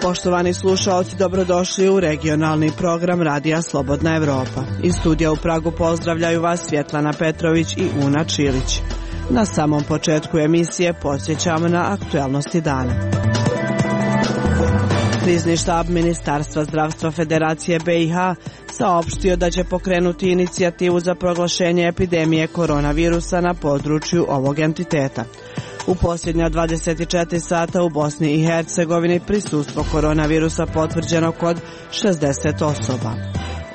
Poštovani slušaoci, dobrodošli u regionalni program Radija Slobodna Evropa. Iz studija u Pragu pozdravljaju vas Svjetlana Petrović i Una Čilić. Na samom početku emisije podsjećamo na aktualnosti dana. Krizni štab Ministarstva zdravstva Federacije BiH saopštio da će pokrenuti inicijativu za proglašenje epidemije koronavirusa na području ovog entiteta. U posljednja 24 sata u Bosni i Hercegovini prisustvo koronavirusa potvrđeno kod 60 osoba.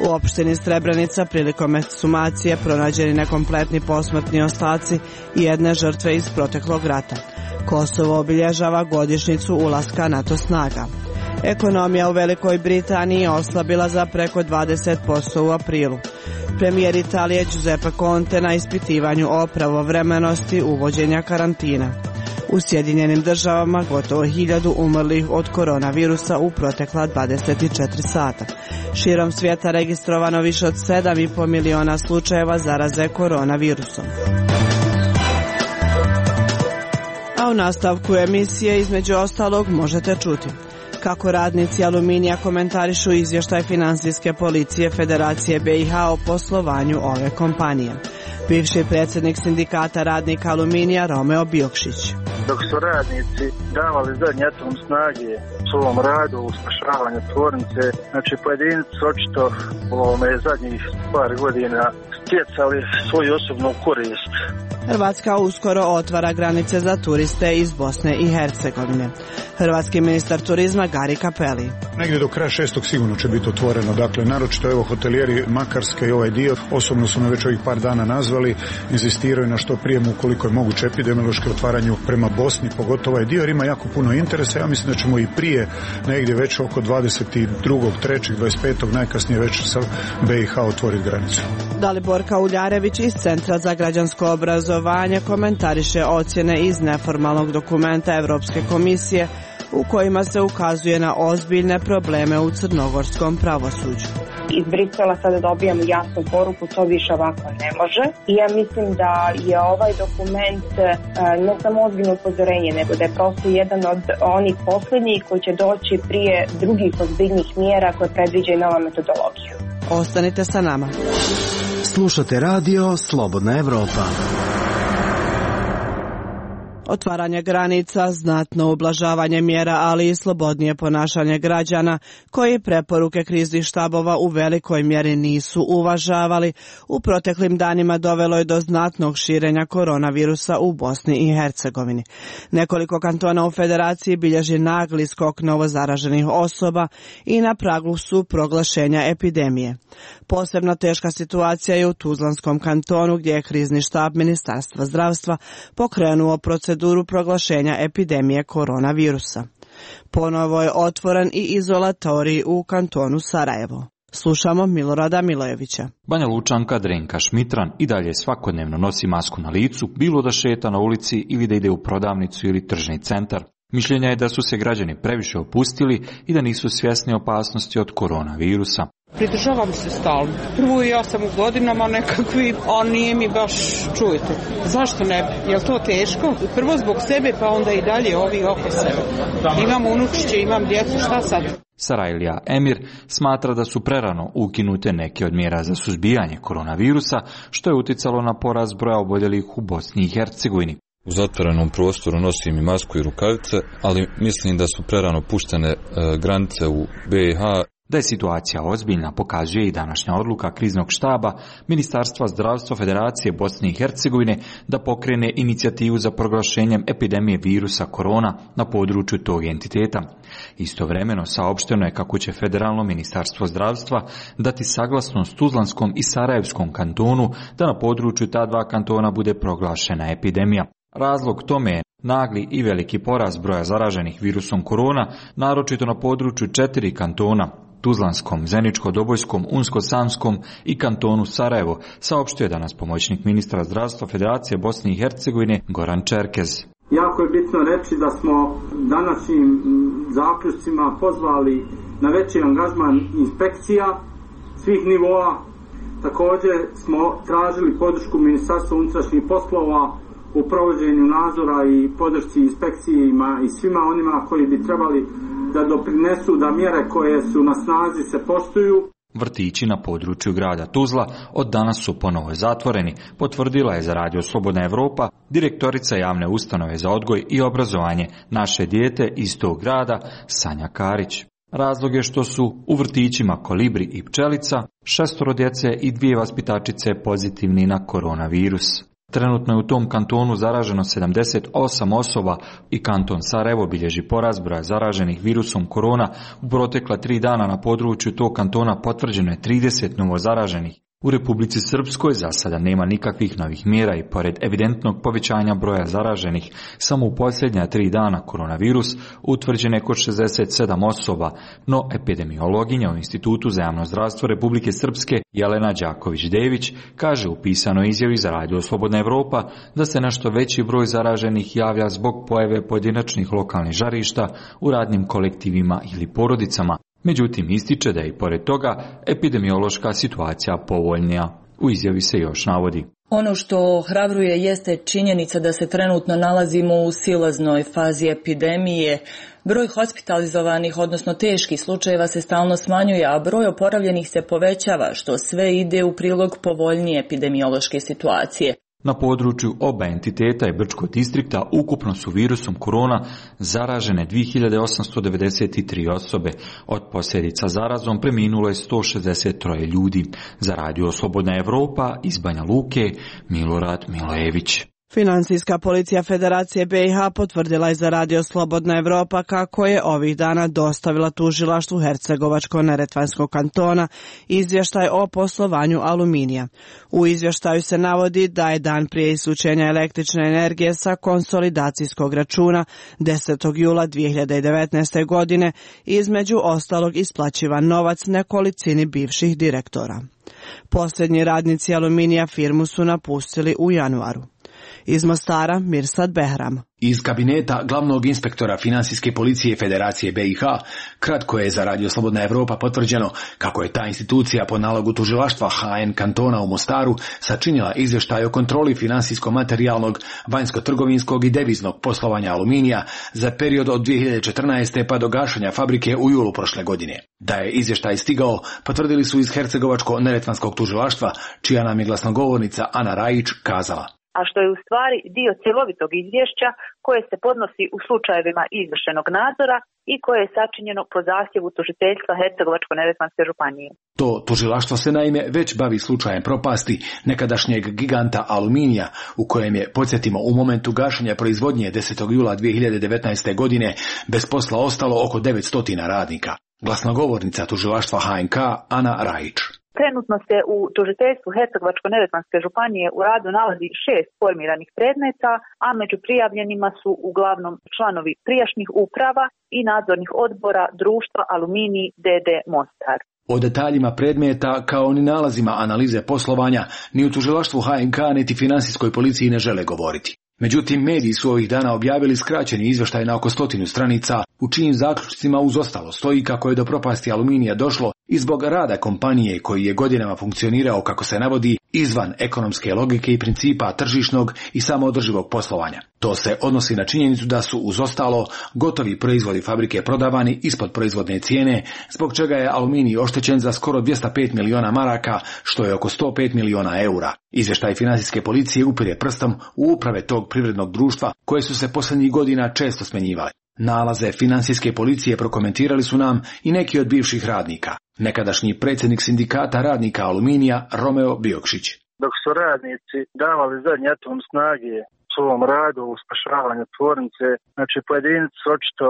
U opštini Srebrenica prilikom ekshumacije pronađeni nekompletni posmrtni ostaci i jedne žrtve iz proteklog rata. Kosovo obilježava godišnjicu ulaska NATO snaga. Ekonomija u Velikoj Britaniji je oslabila za preko 20% u aprilu. Premijer Italije Giuseppe Conte na ispitivanju o pravovremenosti uvođenja karantina. U Sjedinjenim Državama gotovo 1000 umrlih od koronavirusa u protekla 24 sata. Širom svijeta registrovano više od 7,5 miliona slučajeva zaraze koronavirusom. A u nastavku emisije između ostalog možete čuti kako radnici Aluminija komentarišu izvještaj Finansijske policije Federacije BiH o poslovanju ove kompanije. Bivši predsjednik sindikata radnika Aluminija Romeo Biokšić. Dok su radnici davali zadnji atom snage svom radu u spašavanju tvornice, znači pojedinci očito zadnjih par godina stjecali svoju osobnu korist. Hrvatska uskoro otvara granice za turiste iz Bosne i Hercegovine. Hrvatski ministar turizma Gari Cappelli. Negdje do kraja 6. sigurno će biti otvoreno. Dakle, naročito evo hotelijeri Makarske i ovaj dio, osobno su me već ovih par dana nazvali, inzistiraju na što prije koliko je moguće epidemiološke otvaranju prema Bosni, pogotovo ovaj dio, jer ima jako puno interesa. Ja mislim da ćemo i prije, negdje već oko 22. 3. 25. najkasnije već sa BiH otvoriti granicu. Daliborka Uljarević iz Centra za građansko obrazovanje komentariše ocjene iz neformalnog dokumenta Europske komisije u kojima se ukazuje na ozbiljne probleme u crnogorskom pravosuđu. Iz Brisela sada dobijamo jasnu poruku, to više ovako ne može. I ja mislim da je ovaj dokument ne samo ozbiljno upozorenje, nego da je prosto jedan od onih posljednjih koji će doći prije drugih ozbiljnih mjera koje predviđaju nova metodologiju. Ostanite sa nama. Slušate radio Slobodna Evropa. Otvaranje granica, znatno ublažavanje mjera, ali i slobodnije ponašanje građana, koji preporuke kriznih štabova u velikoj mjeri nisu uvažavali, u proteklim danima dovelo je do znatnog širenja koronavirusa u Bosni i Hercegovini. Nekoliko kantona u Federaciji bilježi nagli skok novozaraženih osoba i na pragu su proglašenja epidemije. Posebno teška situacija je u Tuzlanskom kantonu, gdje je krizni štab Ministarstva zdravstva pokrenuo proceduru proglašenja epidemije koronavirusa. Ponovo je otvoren i izolatorij u kantonu Sarajevo. Slušamo Milorada Milojevića. Banja Lučanka Drenka Šmitran i dalje svakodnevno nosi masku na licu, bilo da šeta na ulici ili da ide u prodavnicu ili tržni centar. Mišljenja je da su se građani previše opustili i da nisu svjesni opasnosti od koronavirusa. Pridržavam se stalno. Prvo ja sam u godinama nekakvi, a nije mi baš, čujete. Zašto ne bi? Je li to teško? Prvo zbog sebe, pa onda i dalje ovi oko sebe. Imam unučiće, imam djecu, šta sad? Sarajlija Emir smatra da su prerano ukinute neke od mjera za suzbijanje koronavirusa, što je uticalo na porast broja oboljelih u Bosni i Hercegovini. U zatvorenom prostoru nosim i masku i rukavice, ali mislim da su prerano puštene granice u BiH. Da je situacija ozbiljna pokazuje i današnja odluka kriznog štaba Ministarstva zdravstva Federacije Bosne i Hercegovine da pokrene inicijativu za proglašenjem epidemije virusa korona na području tog entiteta. Istovremeno saopšteno je kako će Federalno ministarstvo zdravstva dati saglasnost Tuzlanskom i Sarajevskom kantonu da na području ta dva kantona bude proglašena epidemija. Razlog tome je nagli i veliki porast broja zaraženih virusom korona, naročito na području 4 kantona, Tuzlanskom, Zeničko-Dobojskom, Unsko-Sanskom i kantonu Sarajevo, saopštio je danas pomoćnik ministra zdravstva Federacije Bosne i Hercegovine Goran Čerkez. Jako je bitno reći da smo današnjim zaključcima pozvali na veći angažman inspekcija svih nivoa Također smo tražili podršku Ministarstva unutrašnjih poslova u provođenju nadzora i podršci inspekcijama i svima onima koji bi trebali da doprinesu da mjere koje su na snazi se poštuju. Vrtići na području grada Tuzla od danas su ponovo zatvoreni, potvrdila je za Radio Slobodna Evropa direktorica javne ustanove za odgoj i obrazovanje Naše dijete iz tog grada Sanja Karić. Razlog je što su u vrtićima Kolibri i Pčelica 6 djece i 2 vaspitačice pozitivni na koronavirus. Trenutno je u tom kantonu zaraženo 78 osoba i kanton Sarajevo bilježi porast broja zaraženih virusom korona. U protekla 3 dana na području tog kantona potvrđeno je 30 novo zaraženih. U Republici Srpskoj za sada nema nikakvih novih mjera i pored evidentnog povećanja broja zaraženih, samo u posljednja 3 dana koronavirus utvrđen je kod 67 osoba, no epidemiologinja u Institutu za javno zdravstvo Republike Srpske Jelena Đaković-Dević kaže u pisanoj izjavi za Radio Slobodna Evropa da se nešto veći broj zaraženih javlja zbog pojave pojedinačnih lokalnih žarišta u radnim kolektivima ili porodicama. Međutim, ističe da je i pored toga epidemiološka situacija povoljnija. U izjavi se još navodi: ono što ohrabruje jeste činjenica da se trenutno nalazimo u silaznoj fazi epidemije. Broj hospitalizovanih, odnosno teških slučajeva se stalno smanjuje, a broj oporavljenih se povećava, što sve ide u prilog povoljnije epidemiološke situacije. Na području oba entiteta i Brčkog distrikta ukupno su virusom korona zaražene 2893 osobe. Od posljedica zarazom preminulo je 163 ljudi. Za Radio Slobodna Evropa iz Banja Luke, Milorad Milojević. Financijska policija Federacije BiH potvrdila je za Radio Slobodna Evropa kako je ovih dana dostavila tužilaštvu Hercegovačko-neretvanskog kantona izvještaj o poslovanju Aluminija. U izvještaju se navodi da je dan prije isključenja električne energije sa konsolidacijskog računa 10. jula 2019. godine između ostalog isplaćivan novac nekolicini bivših direktora. Posljednji radnici Aluminija firmu su napustili u januaru. Iz Mostara, Mirsad Behram. Iz kabineta glavnog inspektora Financijske policije Federacije BiH kratko je za Radio Slobodna Evropa potvrđeno kako je ta institucija po nalogu tužilaštva HN kantona u Mostaru sačinila izvještaj o kontroli financijsko-materijalnog, vanjsko-trgovinskog i deviznog poslovanja Aluminija za period od 2014. pa do gašenja fabrike u julu prošle godine. Da je izvještaj stigao, potvrdili su iz Hercegovačko-neretvanskog tužilaštva, čija nam je glasnogovornica Ana Rajić kazala: a što je u stvari dio cjelovitog izvješća koje se podnosi u slučajevima izvršenog nadzora i koje je sačinjeno po zahtjevu tužiteljstva Hercegovačko-neretvanske županije. To tužilaštvo se naime već bavi slučajem propasti nekadašnjeg giganta Aluminija, u kojem je, podsjetimo, u momentu gašenja proizvodnje 10. jula 2019. godine bez posla ostalo oko 900 radnika. Glasnogovornica tužilaštva HNK Ana Rajić. Trenutno se u tužiteljstvu Hercegovačko-neretvanske županije u radu nalazi 6 formiranih predmeta, a među prijavljenima su uglavnom članovi prijašnjih uprava i nadzornih odbora društva Aluminij d.d. Mostar. O detaljima predmeta kao ni nalazima analize poslovanja ni u tužilaštvu HNK niti financijskoj policiji ne žele govoriti. Međutim, mediji su ovih dana objavili skraćeni izvještaj na oko 100 stranica, u čijim zaključcima uz ostalo stoji kako je do propasti Aluminija došlo i zbog rada kompanije koji je godinama funkcionirao, kako se navodi, izvan ekonomske logike i principa tržišnog i samoodrživog poslovanja. To se odnosi na činjenicu da su uz ostalo gotovi proizvodi fabrike prodavani ispod proizvodne cijene, zbog čega je Aluminij oštećen za skoro 205 miliona maraka, što je oko 105 miliona eura. Izvještaj financijske policije upire prstom u uprave tog privrednog društva koje su se posljednjih godina često smenjivale. Nalaze financijske policije prokomentirali su nam i neki od bivših radnika. Nekadašnji predsjednik sindikata radnika Aluminija Romeo Biokšić. Dok su radnici davali zadnji atom snage svom radu u spašavanju tvornice, znači pojedinci očito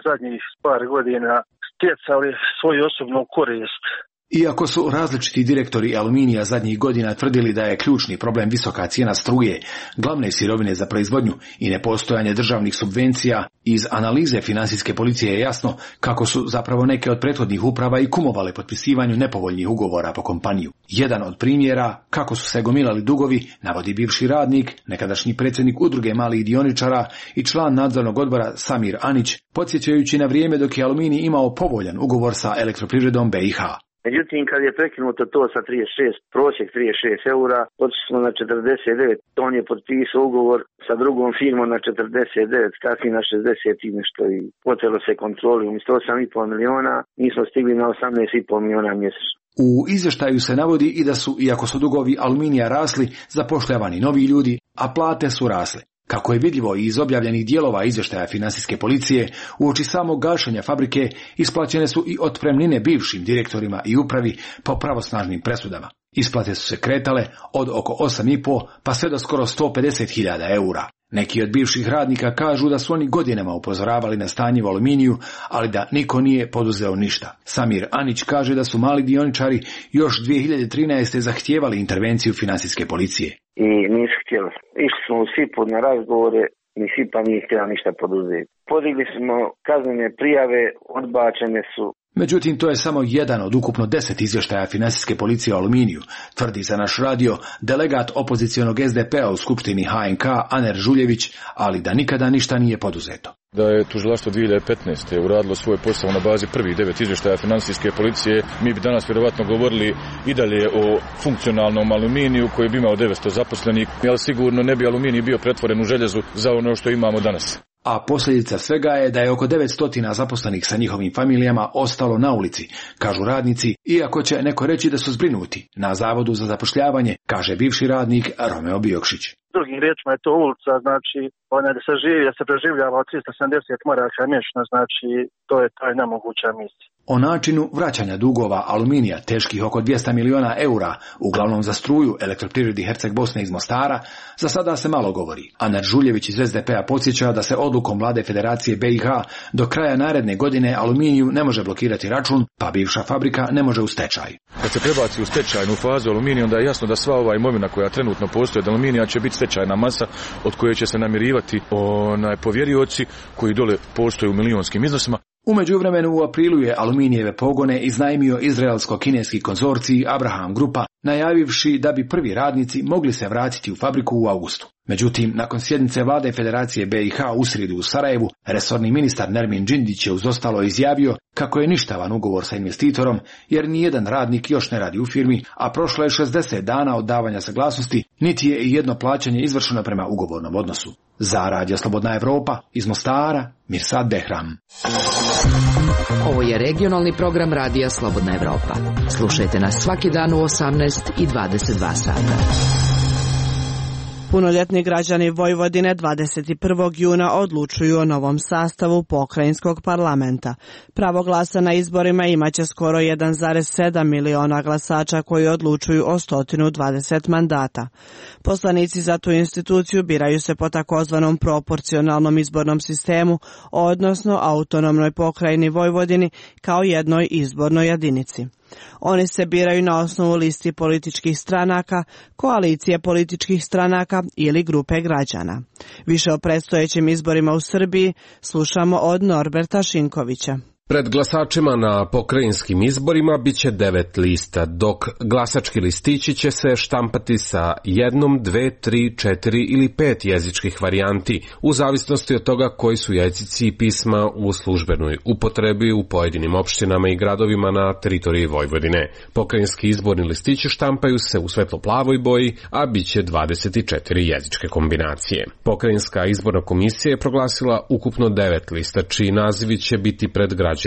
zadnjih par godina stjecali svoju osobnu korist. Iako su različiti direktori Aluminija zadnjih godina tvrdili da je ključni problem visoka cijena struje, glavne sirovine za proizvodnju i nepostojanje državnih subvencija, iz analize financijske policije je jasno kako su zapravo neke od prethodnih uprava i kumovale potpisivanju nepovoljnih ugovora po kompaniju. Jedan od primjera kako su se gomilali dugovi navodi bivši radnik, nekadašnji predsjednik udruge malih dioničara i član nadzornog odbora Samir Anić, podsjećajući na vrijeme dok je Aluminij imao povoljan ugovor sa Elektroprivredom BiH. Međutim, kad je prekinuto to sa 36, prosjek 36 eura, otišli smo na 49. On je potpisao ugovor sa drugom firmom na 49, kasnije na 60 i nešto i potelo se kontroli. Umjesto 8,5 miliona, mi smo stigli na 18,5 miliona mjesečno. U izvještaju se navodi i da su, iako su dugovi Aluminija rasli, zapošljavani novi ljudi, a plate su rasle. Kako je vidljivo iz objavljenih dijelova izvještaja Financijske policije, uoči samog gašenja fabrike isplaćene su i otpremnine bivšim direktorima i upravi po pravosnažnim presudama. Isplate su se kretale od oko 8,5 pa sve do skoro 150.000 eura. Neki od bivših radnika kažu da su oni godinama upozoravali na stanje u Aluminiju, ali da niko nije poduzeo ništa. Samir Anić kaže da su mali dioničari još 2013. zahtijevali intervenciju Financijske policije. I nisu htjeli. Išli smo u SIP-u na razgovore, ni SIP-a nije htjela ništa poduzeti. Podigli smo kaznene prijave, odbačene su. Međutim, to je samo jedan od ukupno 10 izvještaja Financijske policije o Aluminiju, tvrdi za naš radio delegat opozicionog SDP-a u Skupštini HNK Aner Žuljević, ali da nikada ništa nije poduzeto. Da je tužilaštvo 2015. uradilo svoj posao na bazi prvih 9 izvještaja Financijske policije, mi bi danas vjerovatno govorili i dalje o funkcionalnom Aluminiju koji bi imao 900 zaposlenih, ali sigurno ne bi Aluminij bio pretvoren u željezu za ono što imamo danas. A posljedica svega je da je oko 900 zaposlenih sa njihovim familijama ostalo na ulici, kažu radnici, iako će neko reći da su zbrinuti. Na Zavodu za zapošljavanje, kaže bivši radnik Romeo Biokšić. Drugim riječima je to ulica, znači da se preživljava od 370 maraka mjesečno, znači to je taj nemoguća misija. O načinu vraćanja dugova Aluminija teških oko 200 miliona eura, uglavnom za struju Elektroprivredi Herceg Bosne iz Mostara, za sada se malo govori. Aner Žuljević iz SDP-a podsjeća da se odlukom Vlade Federacije BiH do kraja naredne godine Aluminiju ne može blokirati račun, pa bivša fabrika ne može u stečaj. Kad se prebaci u stečajnu fazu Aluminija, onda je jasno da sva ova imovina koja trenutno postoji od Aluminija će biti stečajna masa od koje će se namirivati povjerioci koji dole postoje u milionskim iznosima. U međuvremenu u aprilu je Aluminijeve pogone iznajmio izraelsko-kineski konzorcij Abraham Grupa, najavivši da bi prvi radnici mogli se vratiti u fabriku u augustu. Međutim, nakon sjednice Vlade Federacije BiH u srijedu u Sarajevu, resorni ministar Nermin Džindić je uz ostalo izjavio kako je ništavan ugovor sa investitorom, jer nijedan radnik još ne radi u firmi, a prošlo je 60 dana od davanja saglasnosti, niti je i jedno plaćanje izvršeno prema ugovornom odnosu. Za Radio Slobodna Evropa, iz Mostara, Mirsad Behram. Ovo je regionalni program Radija Slobodna Evropa. Slušajte nas svaki dan u 18 i 22 sata. Punoljetni građani Vojvodine 21. juna odlučuju o novom sastavu pokrajinskog parlamenta. Pravo glasa na izborima imaće skoro 1,7 miliona glasača koji odlučuju o 120 mandata. Poslanici za tu instituciju biraju se po takozvanom proporcionalnom izbornom sistemu, odnosno autonomnoj pokrajini Vojvodini kao jednoj izbornoj jedinici. Oni se biraju na osnovu listi političkih stranaka, koalicije političkih stranaka ili grupe građana. Više o predstojećim izborima u Srbiji slušamo od Norberta Šinkovića. Pred glasačima na pokrajinskim izborima biće 9 lista, dok glasački listići će se štampati sa 1, 2, 3, 4 ili 5 jezičkih varijanti, u zavisnosti od toga koji su jezici i pisma u službenoj upotrebi u pojedinim opštinama i gradovima na teritoriji Vojvodine. Pokrajinski izborni listići štampaju se u svetlo-plavoj boji, a biće 24 jezičke kombinacije. Pokrajinska izborna komisija je proglasila ukupno 9 lista, čiji nazivi će biti pred građanima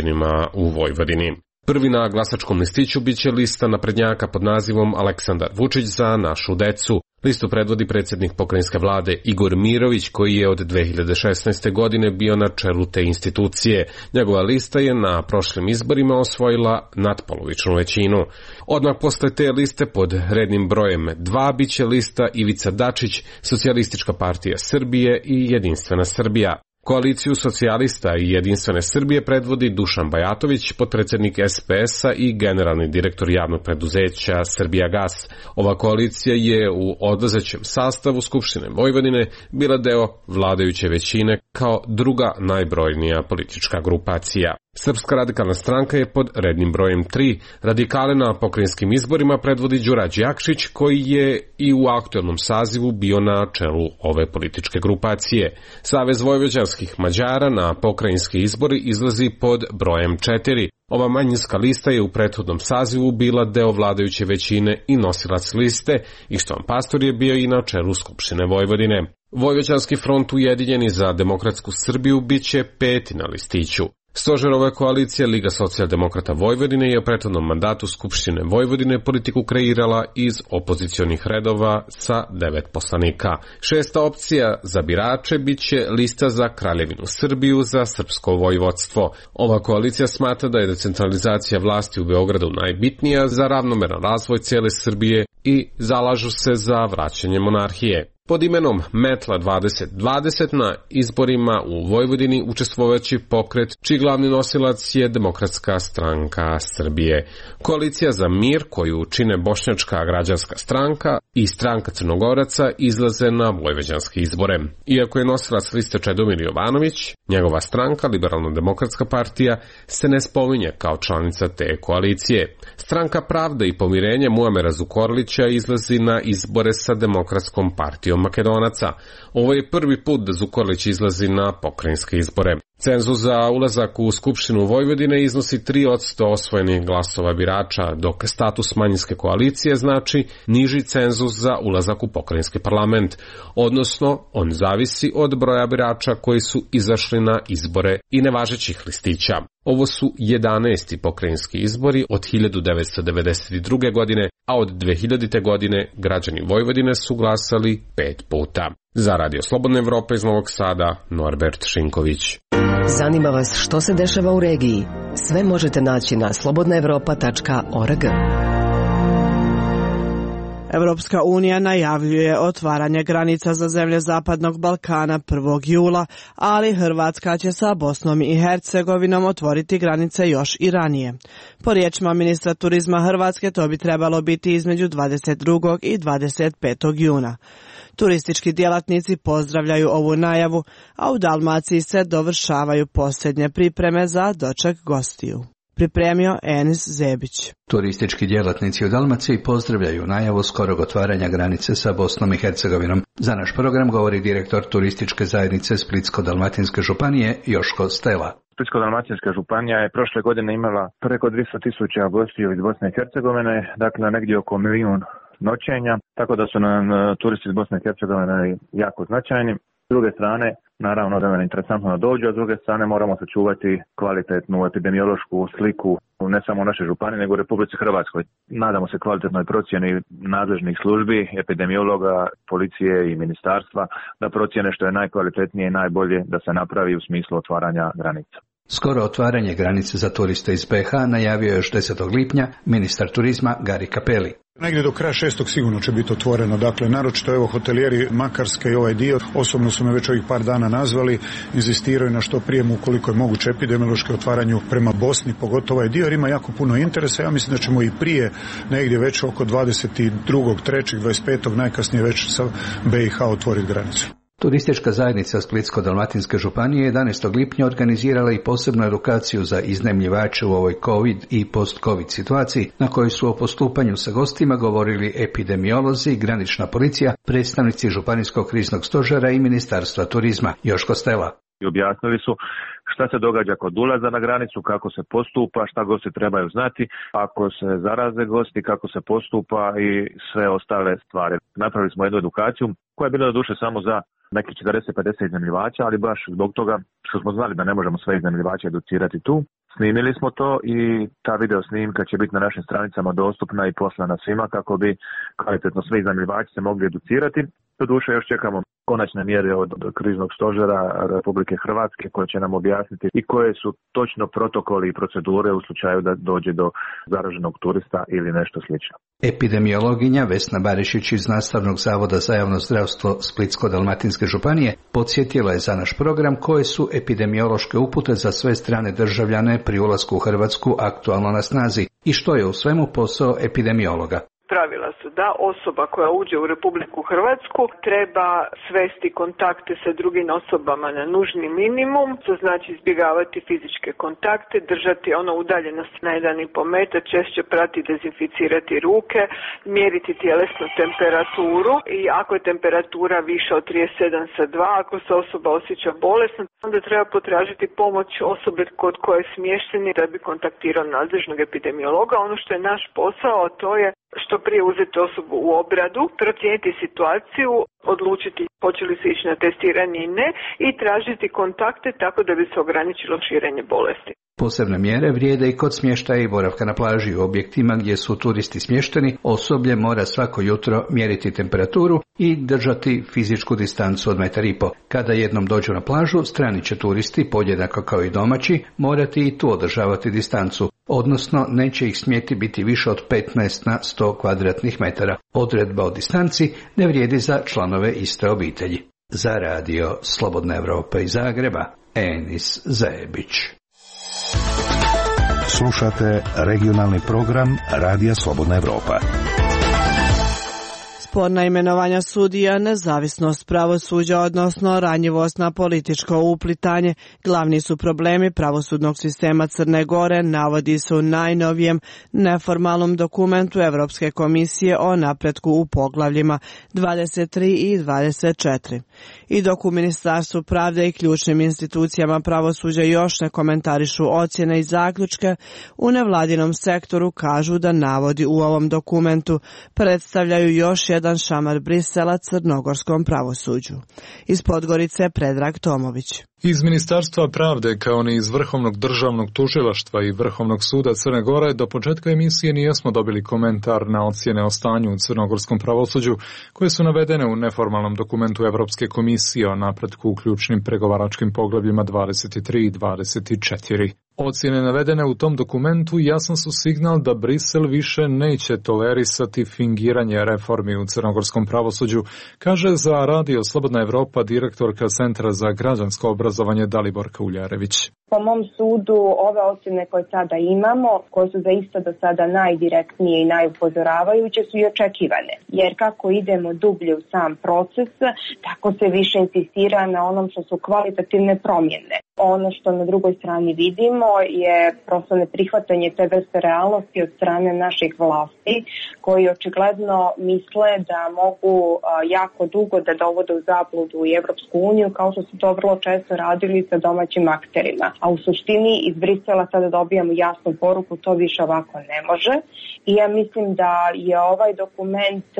u Vojvodini. Prvi na glasačkom listiću biće lista naprednjaka pod nazivom Aleksandar Vučić za našu decu. Listu predvodi predsjednik pokrajinske vlade Igor Mirović, koji je od 2016. godine bio na čelu te institucije. Njegova lista je na prošlim izborima osvojila nadpolovičnu većinu. Odmah posle te liste pod rednim brojem 2 biće lista Ivica Dačić, Socijalistička partija Srbije i Jedinstvena Srbija. Koaliciju socijalista i Jedinstvene Srbije predvodi Dušan Bajatović, potpredsjednik SPS-a i generalni direktor javnog preduzeća Srbijagas. Ova koalicija je u odlazećem sastavu Skupštine Vojvodine bila deo vladajuće većine kao druga najbrojnija politička grupacija. Srpska radikalna stranka je pod rednim brojem 3. Radikale na pokrajinskim izborima predvodi Đura Đakšić, koji je i u aktualnom sazivu bio na čelu ove političke grupacije. Savez vojvođanskih Mađara na pokrajinski izbori izlazi pod brojem 4. Ova manjinska lista je u prethodnom sazivu bila deo vladajuće većine i nosilac liste, Ištvan Pastor je bio i na čelu Skupštine Vojvodine. Vojvođanski front Ujedinjeni za demokratsku Srbiju biće peti na listiću. Stožerova koalicija Liga socijaldemokrata Vojvodine je u prethodnom mandatu Skupštine Vojvodine politiku kreirala iz opozicionih redova sa 9 poslanika. Šesta opcija za birače biće lista za Kraljevinu Srbiju za srpsko vojvodstvo. Ova koalicija smatra da je decentralizacija vlasti u Beogradu najbitnija za ravnomeran razvoj cijele Srbije i zalažu se za vraćanje monarhije. Pod imenom Metla 2020 na izborima u Vojvodini učestvovajući pokret čiji glavni nosilac je Demokratska stranka Srbije. Koalicija za mir koju čine Bošnjačka građanska stranka i stranka Crnogoraca izlaze na vojvođanske izbore. Iako je nosilac liste Čedomir Jovanović, njegova stranka, Liberalno-demokratska partija, se ne spominje kao članica te koalicije. Stranka Pravda i pomirenje Muamera Zukorlića izlazi na izbore sa Demokratskom partijom Makedonaca. Ovo je prvi put da Zukorlić izlazi na pokrajinske izbore. Cenzus za ulazak u Skupštinu Vojvodine iznosi 3% osvojenih glasova birača, dok status manjinske koalicije znači niži cenzus za ulazak u pokrajinski parlament, odnosno on zavisi od broja birača koji su izašli na izbore i nevažećih listića. Ovo su 11. pokrajinski izbori od 1992. godine, a od 2000. godine građani Vojvodine su glasali 5 puta. Za Radio Slobodna Evropa iz Novog Sada, Norbert Šinković. Zanima vas što se dešava u regiji? Sve možete naći na slobodnaevropa.org. Evropska unija najavljuje otvaranje granica za zemlje Zapadnog Balkana 1. jula, ali Hrvatska će sa Bosnom i Hercegovinom otvoriti granice još i ranije. Po riječima ministra turizma Hrvatske to bi trebalo biti između 22. i 25. juna. Turistički djelatnici pozdravljaju ovu najavu, a u Dalmaciji se dovršavaju posljednje pripreme za doček gostiju. Pripremio Enis Zebić. Turistički djelatnici u Dalmaciji pozdravljaju najavu skorog otvaranja granice sa Bosnom i Hercegovinom. Za naš program govori direktor turističke zajednice Splitsko-dalmatinske županije Joško Stela. Splitsko-dalmatinska županija je prošle godine imala preko 200.000 gostiju iz Bosne i Hercegovine, dakle negdje oko 1 milijun noćenja, tako da su nam turisti iz Bosne i Hercegovine jako značajni. S druge strane, naravno da nam je interesantno da dođu, a s druge strane moramo sačuvati kvalitetnu epidemiološku sliku ne samo u našoj županiji, nego u Republici Hrvatskoj. Nadamo se kvalitetnoj procjeni nadležnih službi, epidemiologa, policije i ministarstva da procjene što je najkvalitetnije i najbolje da se napravi u smislu otvaranja granica. Skoro otvaranje granice za turiste iz BiH najavio je još 10. lipnja ministar turizma Gari Cappelli. Negdje do kraja 6. sigurno će biti otvoreno, dakle naročito evo hotelijeri Makarske i ovaj dio, osobno su me već ovih par dana nazvali, inzistiraju na što prijemu ukoliko je moguće epidemiološke otvaranju prema Bosni, pogotovo ovaj dio jer ima jako puno interesa. Ja mislim da ćemo i prije negdje već oko 22. 3. 25. najkasnije već sa BiH otvoriti granicu. Turistička zajednica Splitsko-dalmatinske županije 11. lipnja organizirala i posebnu edukaciju za iznajmljivače u ovoj COVID i post-COVID situaciji, na kojoj su o postupanju sa gostima govorili epidemiolozi, granična policija, predstavnici Županijskog kriznog stožera i Ministarstva turizma. Joško Stela. Objasnili su šta se događa kod ulaza na granicu, kako se postupa, šta gosti trebaju znati, ako se zaraze gosti, kako se postupa i sve ostale stvari. Napravili smo jednu edukaciju koja je bila do duše samo za nekih 40-50 iznajmljivača, ali baš zbog toga što smo znali da ne možemo sve iznajmljivače educirati tu. Snimili smo to i ta video snimka će biti na našim stranicama dostupna i poslana svima kako bi kvalitetno svi iznajmljivači se mogli educirati. Do duše još čekamo konačne mjere od kriznog stožera Republike Hrvatske koje će nam objasniti i koje su točno protokoli i procedure u slučaju da dođe do zaraženog turista ili nešto slično. Epidemiologinja Vesna Barišić iz Nastavnog zavoda za javno zdravstvo Splitsko-dalmatinske županije podsjetila je za naš program koje su epidemiološke upute za sve strane državljane pri ulasku u Hrvatsku aktualno na snazi i što je u svemu posao epidemiologa. pravila su da osoba koja uđe u Republiku Hrvatsku treba svesti kontakte sa drugim osobama na nužni minimum, to znači izbjegavati fizičke kontakte, držati udaljenost na 1,5 metra, češće prati, dezinficirati ruke, mjeriti tjelesnu temperaturu i ako je temperatura više od 37,2, ako se osoba osjeća bolesno, onda treba potražiti pomoć osobe kod koje je smješteni da bi kontaktirao nadležnog epidemiologa. Ono što je naš posao, to je što prije uzeti osobu u obradu, procijeniti situaciju, odlučiti hoće li se ići na testiranje i ne i tražiti kontakte tako da bi se ograničilo širenje bolesti. Posebne mjere vrijede i kod smještaja i boravka na plaži u objektima gdje su turisti smješteni. Osoblje mora svako jutro mjeriti temperaturu i držati fizičku distancu od 1,5 metra. Kada jednom dođu na plažu, strani će turisti, podjednako kao i domaći, morati i tu održavati distancu, odnosno neće ih smjeti biti više od 15 na 100 kvadratnih metara. Odredba o distanci ne vrijedi za članove iste obitelji. Za radio Slobodna Evropa iz Zagreba, Enis Zajebić. Slušate regionalni program Radija Slobodna Evropa. Sporna imenovanja sudija, nezavisnost pravosuđa, odnosno ranjivost na političko uplitanje, glavni su problemi pravosudnog sistema Crne Gore, navodi se u najnovijem neformalnom dokumentu Evropske komisije o napretku u poglavljima 23 i 24. I dok u Ministarstvu pravde i ključnim institucijama pravosuđa još ne komentarišu ocjene i zaključke, u nevladinom sektoru kažu da navodi u ovom dokumentu predstavljaju još jedan šamar Brisela crnogorskom pravosuđu. Iz Podgorice Predrag Tomović. Iz Ministarstva pravde kao ni iz Vrhovnog državnog tužilaštva i Vrhovnog suda Crne Gore do početka emisije nijesmo dobili komentar na ocjene o stanju u crnogorskom pravosuđu koje su navedene u neformalnom dokumentu Evropske komisije o napretku u ključnim pregovaračkim poglavljima 23 i 24. Ocjene navedene u tom dokumentu jasan su signal da Brisel više neće tolerisati fingiranje reformi u crnogorskom pravosuđu, kaže za Radio Slobodna Evropa direktorka Centra za građansko obrazovanje Daliborka Uljarević. Po mom sudu, ove ocjene koje sada imamo, koje su zaista do sada najdirektnije i najupozoravajuće, su i očekivane. Jer kako idemo dublje u sam proces, tako se više insistira na onom što su kvalitativne promjene. Ono što na drugoj strani vidimo je prosto neprihvatanje te vrste realnosti od strane naših vlasti, koji očigledno misle da mogu jako dugo da dovode u zabludu i Evropsku uniju, kao što su to vrlo često radili sa domaćim akterima. A u suštini iz Brisela sada dobijamo jasnu poruku, to više ovako ne može. I ja mislim da je ovaj dokument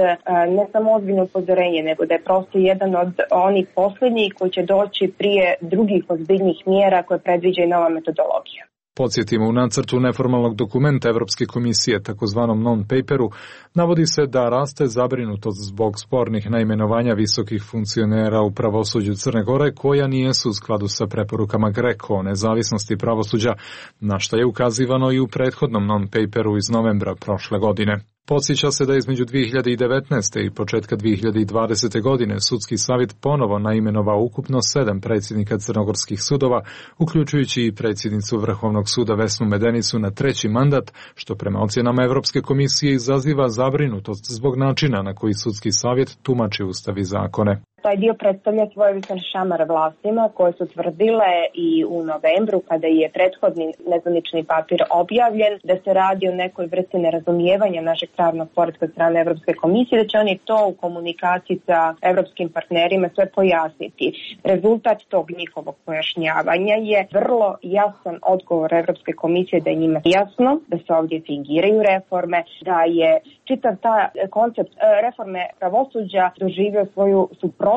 ne samo ozbiljno upozorenje, nego da je prosto jedan od onih posljednjih koji će doći prije drugih ozbiljnih mjera koje predviđa i nova metodologija. Podsjetimo, u nacrtu neformalnog dokumenta Evropske komisije, takozvanom non-paperu, navodi se da raste zabrinutost zbog spornih naimenovanja visokih funkcionera u pravosuđu Crne Gore koja nijesu u skladu sa preporukama GRECO o nezavisnosti pravosuđa, na što je ukazivano i u prethodnom non-paperu iz novembra prošle godine. Podsjeća se da između 2019. i početka 2020. godine Sudski savjet ponovo naimenovao ukupno 7 predsjednika crnogorskih sudova, uključujući i predsjednicu Vrhovnog suda Vesnu Medenicu na 3. mandat, što prema ocjenama Evropske komisije izaziva zabrinutost zbog načina na koji Sudski savjet tumači ustav i zakone. Taj dio predstavlja svojevrstan šamar vlastima koje su tvrdile i u novembru kada je prethodni nezvanični papir objavljen da se radi o nekoj vrsti nerazumijevanja našeg pravnog poretka od strane Evropske komisije, da će oni to u komunikaciji sa evropskim partnerima sve pojasniti. Rezultat tog njihovog pojašnjavanja je vrlo jasan odgovor Evropske komisije da je njima jasno da se ovdje fingiraju reforme, da je čitav ta koncept reforme pravosuđa doživio svoju suprotnost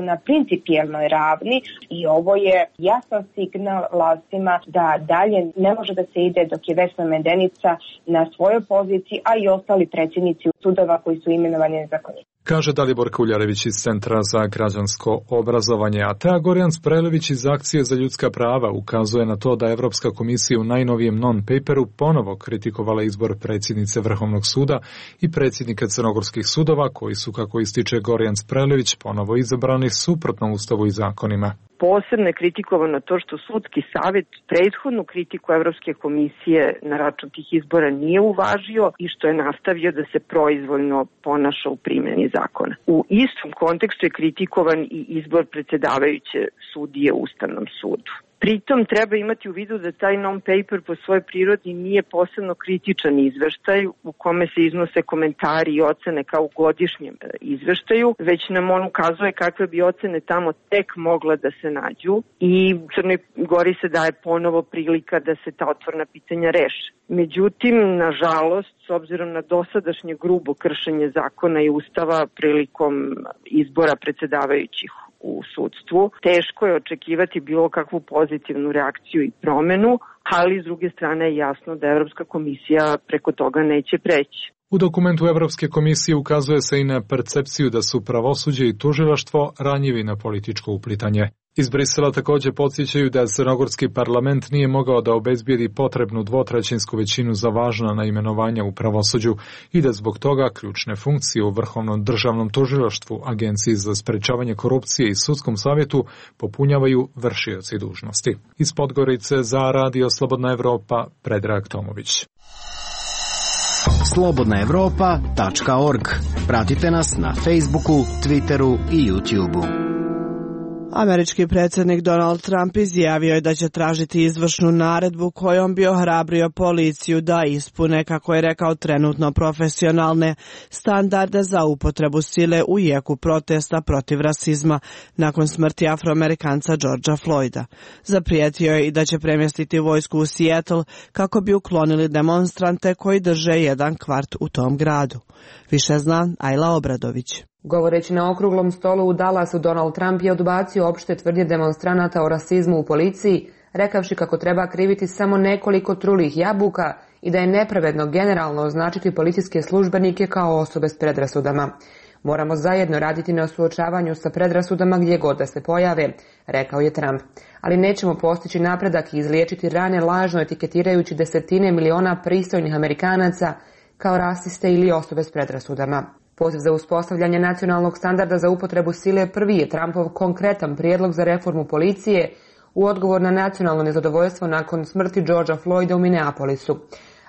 na principijelnoj ravni i ovo je jasan signal vlastima da dalje ne može da se ide dok je Vesna Medenica na svojoj poziciji, a i ostali predsjednici sudova koji su imenovani nezakonito. Kaže Dalibor Kuljarević iz Centra za građansko obrazovanje, a Tea Gorjan Sprelević iz Akcije za ljudska prava ukazuje na to da Evropska komisija u najnovijem non-paperu ponovo kritikovala izbor predsjednice Vrhovnog suda i predsjednika crnogorskih sudova koji su, kako ističe Gorjan Sprelević, ponovo izabrani suprotno ustavu i zakonima. Posebno je kritikovano to što sudski savjet prethodnu kritiku Evropske komisije na račun tih izbora nije uvažio i što je nastavio da se proizvoljno ponaša u primjeni zakona. U istom kontekstu je kritikovan i izbor predsjedavajuće sudije u Ustavnom sudu. Pritom treba imati u vidu da taj non-paper po svojoj prirodi nije posebno kritičan izveštaj u kome se iznose komentari i ocene kao u godišnjem izveštaju, već nam on ukazuje kakve bi ocene tamo tek mogla da se nađu i Crnoj Gori se daje ponovo prilika da se ta otvorna pitanja reše. Međutim, nažalost, s obzirom na dosadašnje grubo kršenje zakona i ustava prilikom izbora predsjedavajućih u sudstvu, teško je očekivati bilo kakvu pozitivnu reakciju i promenu, ali s druge strane je jasno da Evropska komisija preko toga neće preći. U dokumentu Evropske komisije ukazuje se i na percepciju da su pravosuđe i tužilaštvo ranjivi na političko uplitanje. Iz Brisela također podsjećaju da crnogorski parlament nije mogao da obezbijedi potrebnu dvotrećinsku većinu za važna naimenovanja u pravosuđu i da zbog toga ključne funkcije u Vrhovnom državnom tužilaštvu, Agenciji za sprečavanje korupcije i Sudskom savjetu popunjavaju vršioci dužnosti. Iz Podgorice za Radio Slobodna Evropa, Predrag Tomović. slobodnaevropa.org. Pratite nas na Facebooku, Twitteru i YouTubeu. Američki predsjednik Donald Trump izjavio je da će tražiti izvršnu naredbu kojom bi ohrabrio policiju da ispune, kako je rekao, trenutno profesionalne standarde za upotrebu sile u jeku protesta protiv rasizma nakon smrti Afroamerikanca Georgea Floyda. Zaprijetio je i da će premjestiti vojsku u Seattle kako bi uklonili demonstrante koji drže jedan kvart u tom gradu. Više zna Ajla Obradović. Govoreći na okruglom stolu u Dallasu, Donald Trump je odbacio opšte tvrdnje demonstranata o rasizmu u policiji, rekavši kako treba kriviti samo nekoliko trulih jabuka i da je nepravedno generalno označiti policijske službenike kao osobe s predrasudama. Moramo zajedno raditi na suočavanju sa predrasudama gdje god da se pojave, rekao je Trump. Ali nećemo postići napredak i izliječiti rane lažno etiketirajući desetine miliona pristojnih Amerikanaca kao rasiste ili osobe s predrasudama. Poziv za uspostavljanje nacionalnog standarda za upotrebu sile prvi je Trumpov konkretan prijedlog za reformu policije u odgovor na nacionalno nezadovoljstvo nakon smrti Georgea Floyda u Minneapolisu.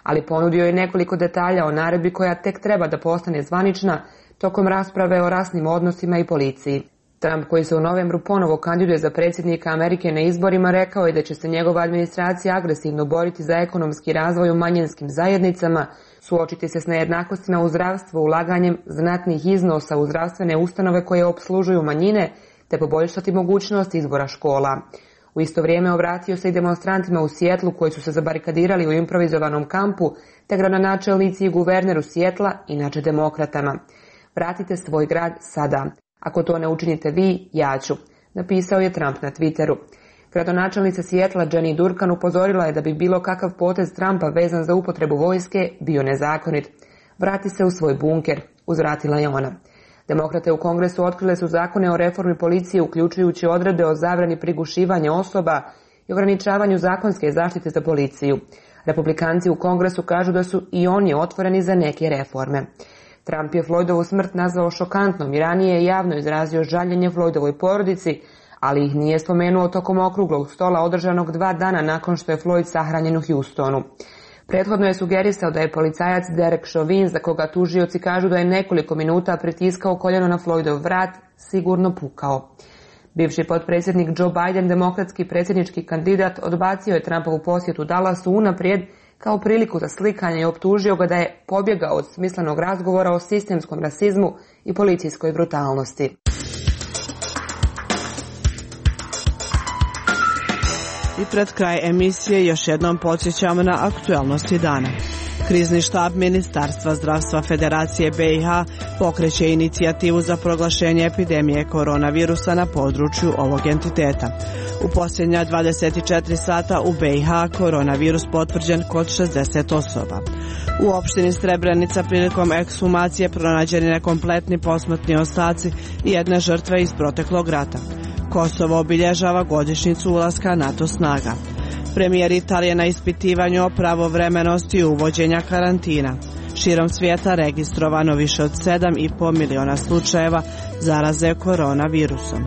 Ali ponudio je nekoliko detalja o naredbi koja tek treba da postane zvanična tokom rasprave o rasnim odnosima i policiji. Trump, koji se u novembru ponovo kandiduje za predsjednika Amerike na izborima, rekao je da će se njegova administracija agresivno boriti za ekonomski razvoj u manjinskim zajednicama, suočiti se s nejednakostima u zdravstvu ulaganjem znatnih iznosa u zdravstvene ustanove koje opslužuju manjine, te poboljšati mogućnost izbora škola. U isto vrijeme obratio se i demonstrantima u Sijetlu koji su se zabarikadirali u improvizovanom kampu, te gradonačelnici i guverneru Sijetla, inače demokratama. Vratite svoj grad sada. Ako to ne učinite vi, ja ću, napisao je Trump na Twitteru. Gradonačelnica Sijetla Jenny Durkan upozorila je da bi bilo kakav potez Trumpa vezan za upotrebu vojske bio nezakonit. Vrati se u svoj bunker, uzvratila je ona. Demokrate u Kongresu otkrile su zakone o reformi policije, uključujući odredbe o zabrani prigušivanja osoba i ograničavanju zakonske zaštite za policiju. Republikanci u Kongresu kažu da su i oni otvoreni za neke reforme. Trump je Floydovu smrt nazvao šokantnom i ranije je javno izrazio žaljenje Floydovoj porodici, ali ih nije spomenuo tokom okruglog stola održanog 2 dana nakon što je Floyd sahranjen u Houstonu. Prethodno je sugerisao da je policajac Derek Chauvin, za koga tužioci kažu da je nekoliko minuta pritiskao koljeno na Floydov vrat, sigurno pukao. Bivši potpredsjednik Joe Biden, demokratski predsjednički kandidat, odbacio je Trumpovu posjetu Dallasu unaprijed kao priliku za slikanje i optužio ga da je pobjegao od smislenog razgovora o sistemskom rasizmu i policijskoj brutalnosti. I pred kraj emisije još jednom podsjećamo na aktualnosti dana. Krizni štab Ministarstva zdravstva Federacije BiH pokreće inicijativu za proglašenje epidemije koronavirusa na području ovog entiteta. U posljednja 24 sata u BiH koronavirus potvrđen kod 60 osoba. U opštini Srebrenica prilikom ekshumacije pronađeni nekompletni posmrtni ostaci i jedne žrtve iz proteklog rata. Kosovo obilježava godišnjicu ulaska NATO snaga. Premijer Italije na ispitivanju o pravovremenosti uvođenja karantina. Širom svijeta registrovano više od 7,5 miliona slučajeva zaraze koronavirusom.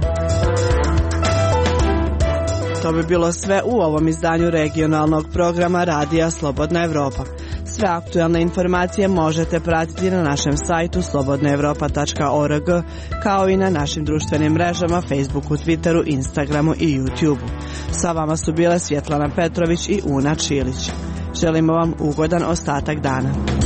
To bi bilo sve u ovom izdanju regionalnog programa Radija Slobodna Evropa. Sve aktualne informacije možete pratiti na našem sajtu slobodnaevropa.org, kao i na našim društvenim mrežama Facebooku, Twitteru, Instagramu i YouTubeu. Sa vama su bile Svjetlana Petrović i Una Čilić. Želimo vam ugodan ostatak dana.